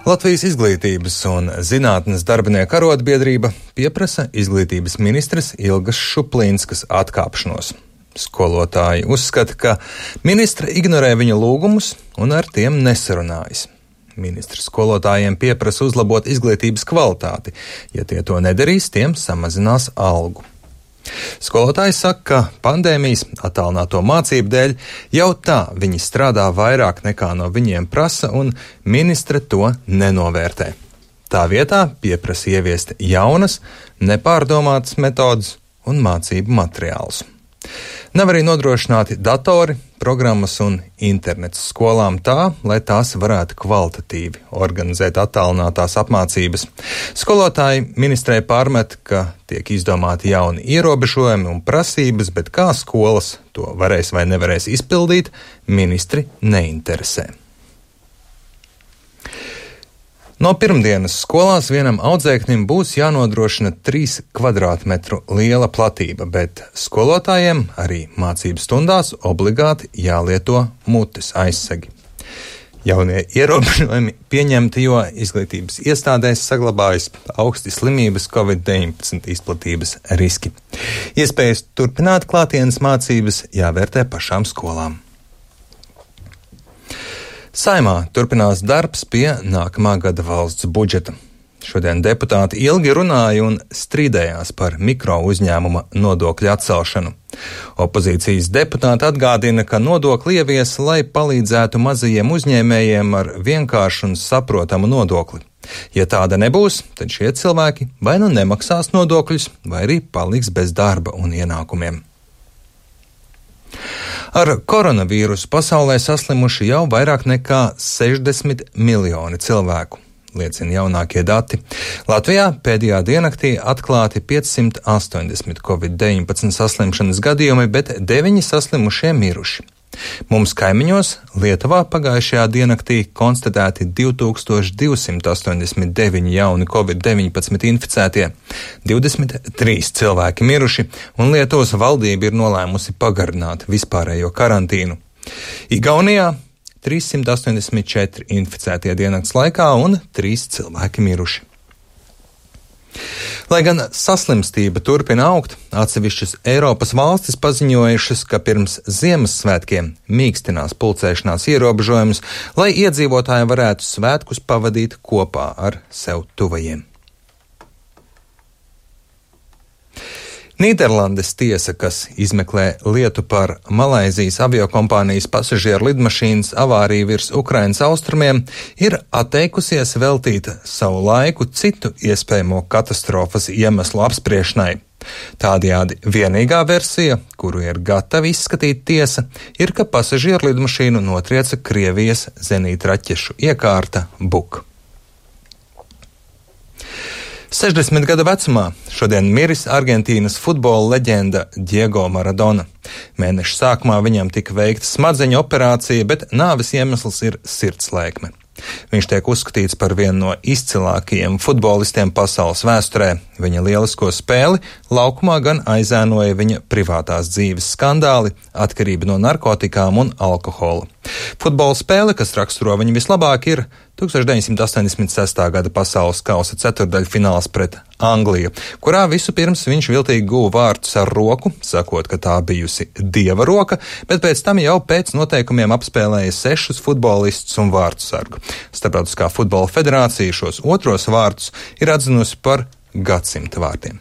Latvijas izglītības un zinātnes darbinieku arotbiedrība pieprasa izglītības ministres Ilgas Šuplīnskas atkāpšanos. Skolotāji uzskata, ka ministra ignorē viņa lūgumus un ar tiem nesarunājas. Ministrs skolotājiem pieprasa uzlabot izglītības kvalitāti. Ja tie to nedarīs, tiem samazinās algu. Skolotāji saka, ka pandēmijas attālināto mācību dēļ jau tā viņi strādā vairāk nekā no viņiem prasa, un ministre to nenovērtē. Tā vietā pieprasa ieviest jaunas, nepārdomātas metodas un mācību materiālus. Nav arī nodrošināti datori, programmas un internets skolām tā, lai tās varētu kvalitatīvi organizēt attālinātās apmācības. Skolotāji ministrei pārmet, ka tiek izdomāti jauni ierobežojumi un prasības, bet kā skolas to varēs vai nevarēs izpildīt, ministri neinteresē. No pirmdienas skolās vienam audzēknim būs jānodrošina 3 kvadrātmetru liela platība, bet skolotājiem arī mācību stundās obligāti jālieto mutes aizsegi. Jaunie ierobežojumi pieņemti, jo izglītības iestādēs saglabājas augsti slimības COVID-19 izplatības riski. Iespējas turpināt klātienes mācības jāvērtē pašām skolām. Saimā turpinās darbs pie nākamā gada valsts budžeta. Šodien deputāti ilgi runāja un strīdējās par mikro uzņēmuma nodokļu atcelšanu. Opozīcijas deputāti atgādina, ka nodokli ievies, lai palīdzētu mazajiem uzņēmējiem ar vienkāršu un saprotamu nodokli. Ja tāda nebūs, tad šie cilvēki vai nu nemaksās nodokļus, vai arī paliks bez darba un ienākumiem. Ar koronavīrusu pasaulē saslimuši jau vairāk nekā 60 miljoni cilvēku, liecina jaunākie dati. Latvijā pēdējā diennaktī atklāti 580 COVID-19 saslimšanas gadījumi, bet 9 saslimušie miruši. Mums kaimiņos Lietuvā pagājušajā diennaktī konstatēti 2289 jauni COVID-19 inficētie, 23 cilvēki miruši, un Lietuvas valdība ir nolēmusi pagarināt vispārējo karantīnu. Igaunijā 384 inficētie diennakts laikā un 3 cilvēki miruši. Lai gan saslimstība turpina augt, atsevišķas Eiropas valstis paziņojušas, ka pirms Ziemassvētkiem mīkstinās pulcēšanās ierobežojumus, lai iedzīvotāji varētu svētkus pavadīt kopā ar sev tuvajiem. Nīderlandes tiesa, kas izmeklē lietu par Malaizijas aviokompānijas pasažieru lidmašīnas avāriju virs Ukrainas austrumiem, ir atteikusies veltīt savu laiku citu iespējamo katastrofas iemeslu apspriešanai. Tādējādi vienīgā versija, kuru ir gatava izskatīt tiesa, ir, ka pasažieru lidmašīnu notrieca Krievijas zenītraķešu iekārta Buk. 60 gadu vecumā šodien miris Argentīnas futbola leģenda Diego Maradona. Mēneša sākumā viņam tika veikta smadzeņu operācija, bet nāves iemesls ir sirdslēkme. Viņš tiek uzskatīts par vienu no izcilākajiem futbolistiem pasaules vēsturē. Viņa lielisko spēli laukumā gan aizēnoja viņa privātās dzīves skandāli, atkarība no narkotikām un alkohola. Futbola spēle, kas raksturo viņu vislabāk, ir 1986. gada pasaules kausa ceturdaļfināls pret Angliju, kurā vispirms viņš viltīgi guva vārtus ar roku, sakot, ka tā bijusi dieva roka, bet pēc tam jau pēc noteikumiem apspēlēja 6 futbolistus un vārtsargu. Starptautiskā futbola federācija šos otros vārtus ir atzinusi par gadsimta vārtiem.